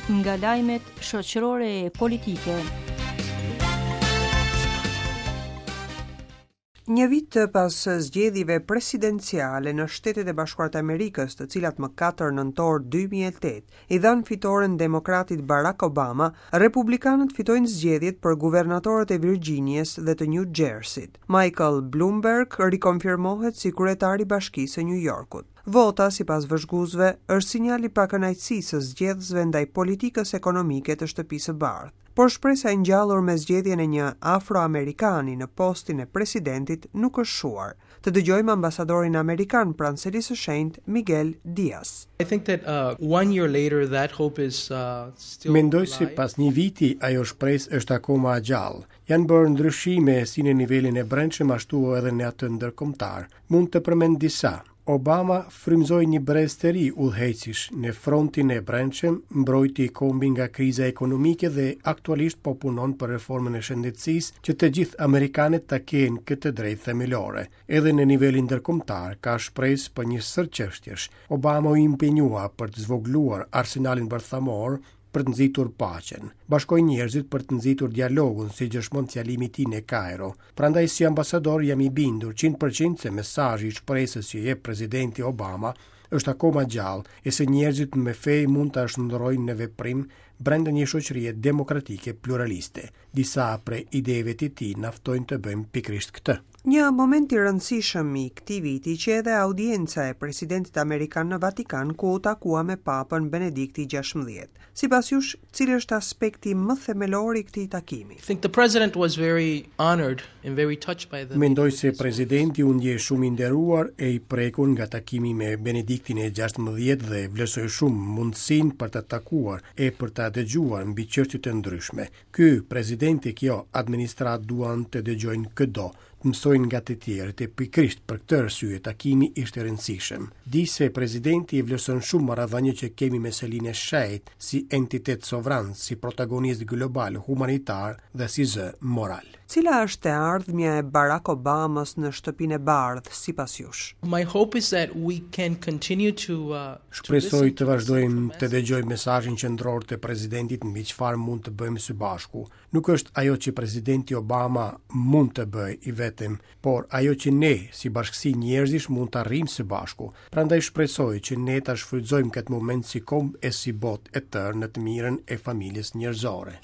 Nga lajmet shoqërore e politike. Një vit pas zgjedhjeve presidenciale në Shtetet e Bashkuara të Amerikës, të cilat më 4 nëntor 2008 i dhanë fitoren demokratit Barack Obama, republikanët fitojnë zgjedhjet për guvernatorët e Virginias dhe të New Jersey-t. Michael Bloomberg rikonfirmohet si kryetar i Bashkisë së New Yorkut. Vota, sipas vëzhguesve, është sinjal i pakënaqësisë së zgjedhësve ndaj politikës ekonomike të Shtëpisë së Bardhë. Por shpresa e ngjallur me zgjedhjen e një afroamerikani në postin e presidentit nuk është shuar. Të dëgjojmë ambasadorin amerikan pranë Selisë së Shenjtë, Miguel Diaz. I think that uh, one year later that hope is uh, still Mendoj se pas një viti ajo shpresë është akoma e gjallë. Janë bërë ndryshime si në nivelin e brendshëm ashtu edhe në atë ndërkombëtar. Mund të përmend disa. Obama frymëzoi një brez të ri udhëheqësish në frontin e brendshëm, mbrojti kombin nga kriza ekonomike dhe aktualisht po punon për reformën e shëndetësisë që të gjithë amerikanët ta kenë këtë të drejtë themelore. Edhe në nivelin ndërkombëtar ka shpresë për një sërë çështjesh. Obama u impenjua për të zvogëluar arsenalin bërthamor, për të nxitur paqen. Bashkoi njerëzit për të nxitur dialogun, si dëshmon fjalimi i tij në Kairo. Prandaj si ambasador jam i bindur 100% se mesazhi i shpresës që jep presidenti Obama është akoma gjallë e se njerëzit me fe mund ta shndërrojnë në veprim brenda një shoqërie demokratike pluraliste. Disa prej ideve të tij na ftojnë të bëjmë pikërisht këtë. Një moment i rëndësishëm i këtij viti qe edhe audienca e presidentit amerikan në Vatikan ku u takua me Papën Benedikti XVI. Sipas jush, cili është aspekti më themelor i këtij takimi? I think the president was very honored and very touched by the Mendoj se presidenti u ndje shumë i nderuar e i prekur nga takimi me Benediktin e XVI dhe vlerësoi shumë mundësinë për ta takuar e për ta dëgjuar mbi çështje të ndryshme. Ky president e kjo administratë duan të dëgjojnë këdo, të mësojnë nga të tjerët e pikërisht për këtë arsye takimi ishte i rëndësishëm. Di se presidenti i vlerëson shumë marrëdhëniet që kemi me Selinë e Shenjtë si entitet sovran, si protagonist global, humanitar dhe si zë moral. Cila është e ardhmja e Barack Obamës në Shtëpinë e Bardhë sipas jush? My hope is that we can continue to uh, Shpresoj të vazhdojmë të dëgjojmë mesazhin qendror të presidentit mbi çfarë mund të bëjmë së bashku. Nuk është ajo që presidenti Obama mund të bëjë i vetëm, por ajo që ne si bashkësi njerëzish mund të arrijmë së bashku. Prandaj shpresoj që ne ta shfrytëzojmë këtë moment si komb e si botë e tërë në të mirën e familjes njerëzore.